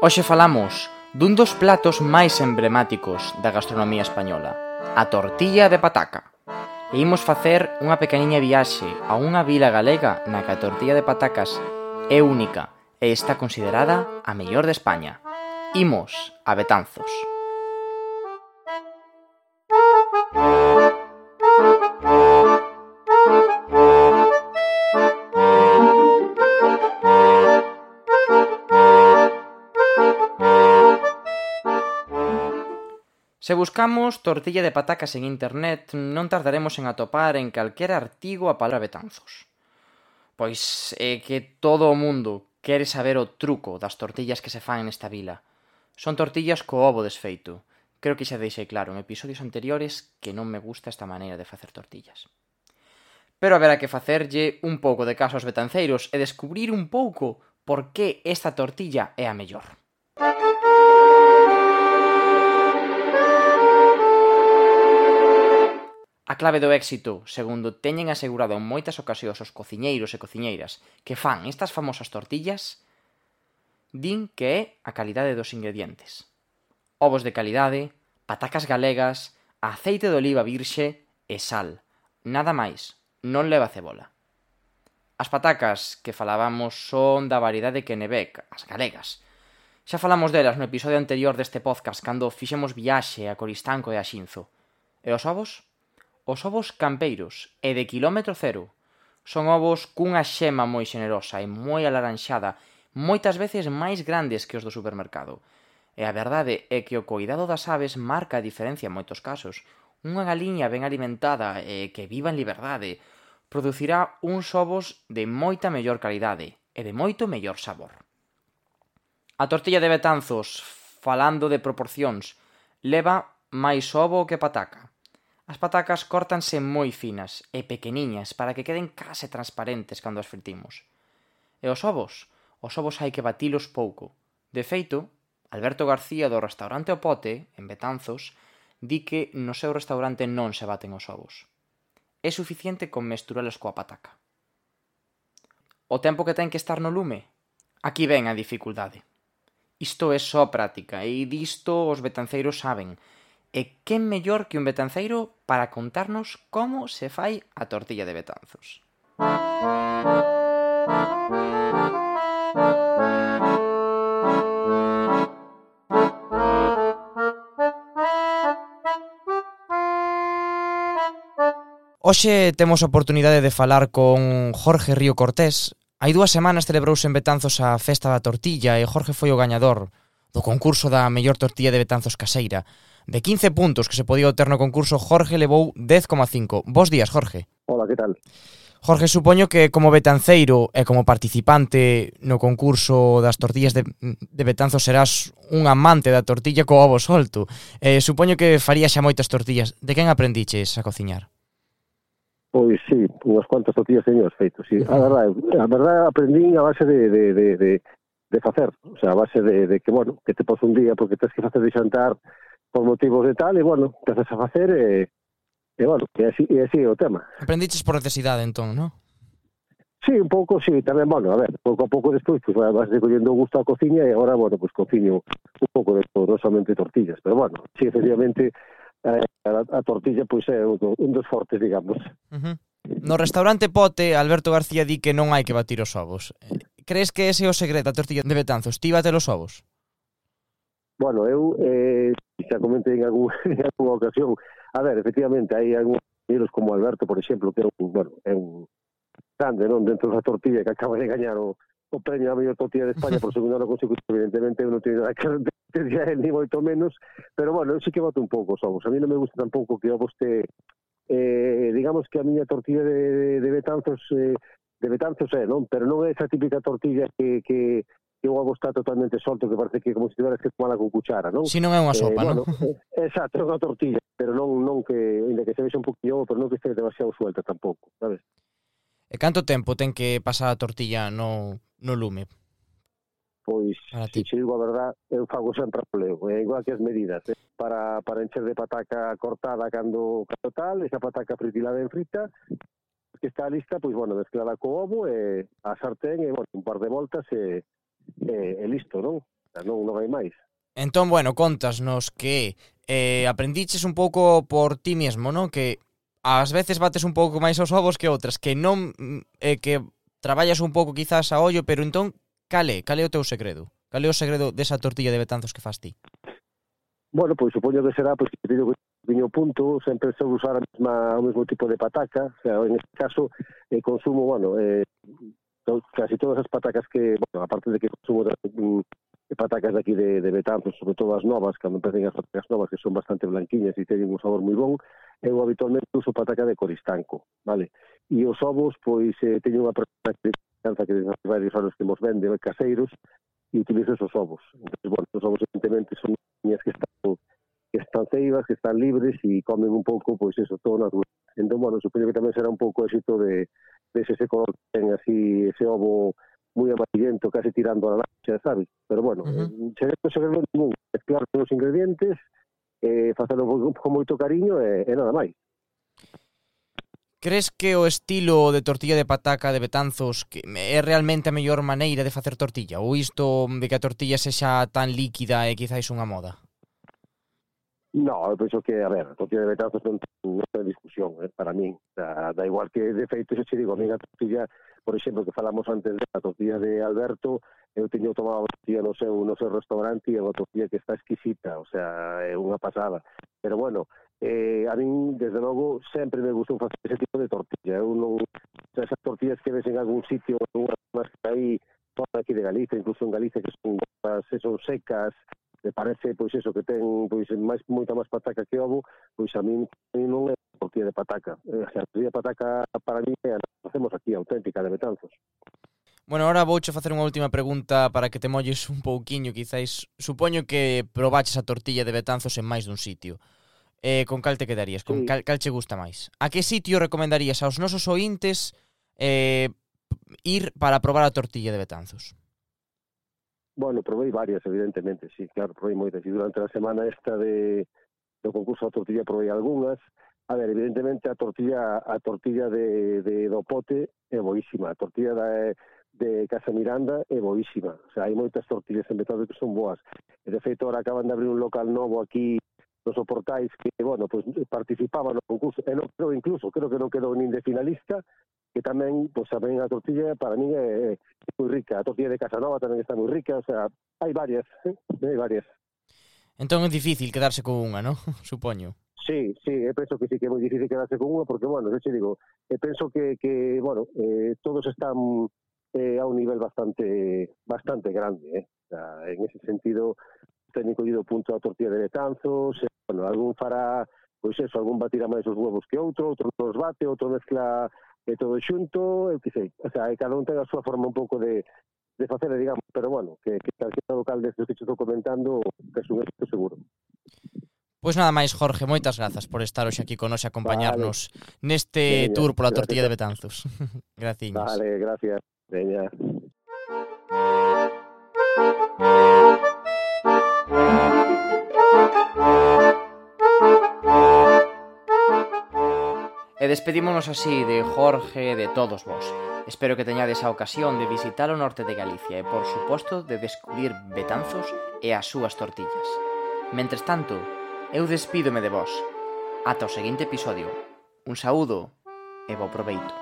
Hoxe falamos dun dos platos máis emblemáticos da gastronomía española, a tortilla de pataca. E imos facer unha pequeniña viaxe a unha vila galega na que a tortilla de patacas é única e está considerada a mellor de España. Imos a Betanzos. Se buscamos tortilla de patacas en internet, non tardaremos en atopar en calquera artigo a palabra Betanzos. Pois é que todo o mundo quere saber o truco das tortillas que se fan nesta vila. Son tortillas co ovo desfeito. Creo que xa deixei claro en episodios anteriores que non me gusta esta maneira de facer tortillas. Pero haberá que facerlle un pouco de caso aos betanceiros e descubrir un pouco por que esta tortilla é a mellor. A clave do éxito, segundo teñen asegurado en moitas ocasións os cociñeiros e cociñeiras que fan estas famosas tortillas, din que é a calidade dos ingredientes. Ovos de calidade, patacas galegas, aceite de oliva virxe e sal. Nada máis, non leva cebola. As patacas que falábamos son da variedade Kennebec, as galegas. Xa falamos delas no episodio anterior deste podcast cando fixemos viaxe a Coristanco e a Xinzo. E os ovos? Os ovos campeiros e de quilómetro cero son ovos cunha xema moi xenerosa e moi alaranxada, moitas veces máis grandes que os do supermercado. E a verdade é que o coidado das aves marca a diferencia en moitos casos. Unha galiña ben alimentada e que viva en liberdade producirá uns ovos de moita mellor calidade e de moito mellor sabor. A tortilla de Betanzos, falando de proporcións, leva máis ovo que pataca. As patacas córtanse moi finas e pequeniñas para que queden case transparentes cando as fritimos. E os ovos? Os ovos hai que batilos pouco. De feito, Alberto García do restaurante O Pote, en Betanzos, di que no seu restaurante non se baten os ovos. É suficiente con mesturalos coa pataca. O tempo que ten que estar no lume? Aquí ven a dificultade. Isto é só práctica e disto os betanceiros saben. E quen mellor que un betanceiro para contarnos como se fai a tortilla de Betanzos. Hoxe temos a oportunidade de falar con Jorge Río Cortés. Hai 2 semanas celebrouse en Betanzos a Festa da Tortilla e Jorge foi o gañador do concurso da mellor tortilla de Betanzos caseira. De 15 puntos que se podía obter no concurso, Jorge levou 10,5. Bos días, Jorge. Hola, que tal? Jorge, supoño que como betanceiro e como participante no concurso das tortillas de Betanzos serás un amante da tortilla co ovo solto. Supoño que farías xa moitas tortillas. De quen aprendiches a cociñar? Pois sí, unhas cuantas tortillas teño feito, sí. A verdade aprendín a base de facer, o sea, a base de que, bueno, que te pos un día porque tens que facer de xantar por motivos de tal, e, bueno, te haces a facer e bueno, e así é o tema. Aprendiches por necesidade, entón, non? Sí, un pouco, sí, tamén, bueno, a ver, pouco a pouco despois, pues vas collendo o gusto á cociña e agora, bueno, pues cociño un pouco de todo, non somente tortillas, pero bueno, sí, efectivamente, a tortilla, pois é un dos fortes, digamos. No restaurante Pote, Alberto García di que non hai que batir os ovos. Crees que ese é o segredo da tortilla de Betanzos? Ti bate os ovos? Bueno, eu xa comentei en algunha ocasión. A ver, efectivamente, hai algúns compañeros como Alberto, por exemplo, que é un grande, non, dentro da tortilla, que acaba de gañar o premio a mellor tortilla de España por segundo ano consecutivo. Evidentemente, eu non teño nada que repetir a él, ni moito menos, pero, bueno, eu sí que boto un pouco os ovos. A mí non me gusta tampouco que ovos digamos que a miña tortilla de Betanzos non, pero non é esa típica tortilla que o ovo está totalmente solto, que parece que como se tiveras que tomala con cuchara, non? Si non é unha sopa, bueno, non? Exacto, é unha tortilla, pero non que, ainda que se vexa un poquinho, pero non que este demasiado suelta tampouco, sabes? E canto tempo ten que pasar a tortilla no lume? Pois, se che digo a verdad, eu fago sempre a poleo, igual que as medidas, para encher de pataca cortada cando tal, esa pataca fritilada en frita, que está lista, pois, bueno, mezclada co ovo, a sartén, e, bueno, un par de voltas, e listo, non? Non hai máis. Entón, bueno, contasnos que aprendiches un pouco por ti mesmo, non? Que ás veces bates un pouco máis os ovos que outras, que non que traballas un pouco quizás a ollo, pero entón, cal é o teu segredo? Cal é o segredo desa tortilla de Betanzos que fas ti? Bueno, pois supoño que será pois, que teño que viño punto, sempre se usar o mesmo tipo de pataca, o sea, en este caso consumo, bueno, casi todas as patacas que, bueno, aparte de que consumo patacas de aquí de Betanzos, sobre todo as novas, cando empecen as patacas novas, que son bastante blanquiñas e teñen un sabor moi bon, eu habitualmente uso pataca de Coristanco, vale? E os ovos, pois, teño unha persona que desde varios anos que mos vende caseiros, e utilizo esos ovos. Entonces, bueno, os ovos evidentemente son niñas que están ceibas, que están libres e comen un pouco, pois eso, todo natural. Entón, bueno, supoño que tamén será un pouco éxito de ese color que ten así, ese ovo moi amarillento, casi tirando a la lancha, sabes? Pero bueno, segredo ningún, mezclar os ingredientes, facelo con moito cariño e nada máis. Crees que o estilo de tortilla de pataca de Betanzos que é realmente a mellor maneira de facer tortilla? Ou isto de que a tortilla sexa tan líquida é quizáis unha moda? No, eu penso que, a ver, a tortilla de Betanzos non ten discusión, para min. Da igual que, de feito, se che digo, a mí a tortilla, por exemplo, que falamos antes da tortilla de Alberto, eu teño tomado a tortilla no seu restaurante e é unha tortilla que está exquisita, o sea, é unha pasada. Pero bueno, a min, desde logo, sempre me gustou facer ese tipo de tortilla. Eu non, esas tortillas que ves en algún sitio, unhas que hai fora aquí de Galicia, incluso en Galicia, que son secas, me parece, pois eso, que ten pois moita máis pataca que ovo, pois a mí non é tortilla de pataca. A tortilla de pataca para mí é a que facemos aquí, auténtica, de Betanzos. Bueno, ahora vouche facer unha última pregunta para que te molles un pouquiño, quizáis. Supoño que probaches a tortilla de Betanzos en máis dun sitio. Con cal te quedarías? Con cal che gusta máis? A que sitio recomendarías aos nosos ointes ir para probar a tortilla de Betanzos? Bueno, probei varias, evidentemente, sí, claro, probei moitas. E durante a semana esta do concurso da tortilla probei algunhas. A ver, evidentemente a tortilla do pote é boísima. A tortilla de Casa Miranda é boísima. O sea, hai moitas tortillas en Betanzos que son boas. E de feito, ahora acaban de abrir un local novo aquí nos Portais que, bueno, pues participaba no concurso. E non creo, incluso, creo que non quedou nin de finalista, que tamén, pues tamén a tortilla para mí é moi rica. A tortilla de Casanova tamén está moi rica, o sea, hai varias, hai varias. Entón é difícil quedarse con unha, non? Supoño. Sí, eu penso que sí que é moi difícil quedarse con unha, porque, bueno, eu te digo, penso que bueno, todos están a un nivel bastante grande, o sea, en ese sentido, teñen collido o punto da tortilla de Betanzos, bueno, algún fará, pois eso, algún batirá máis os huevos que outro nos bate, outro mezcla todo xunto, eu que sei, o sea, cada un ten a súa forma un pouco de facer, digamos, pero bueno, que calquera local destes que te estou comentando, que é un éxito seguro. Pois nada máis, Jorge, moitas grazas por estar hoxe aquí con nos e acompañarnos neste tour pola tortilla de Betanzos. Graciñas. Vale, gracias. Veña. E despedímonos así de Jorge e de todos vos. Espero que teñades a ocasión de visitar o norte de Galicia e, por suposto, de descubrir Betanzos e as súas tortillas. Mentres tanto, eu despídome de vos. Ata o seguinte episodio. Un saúdo e bo proveito.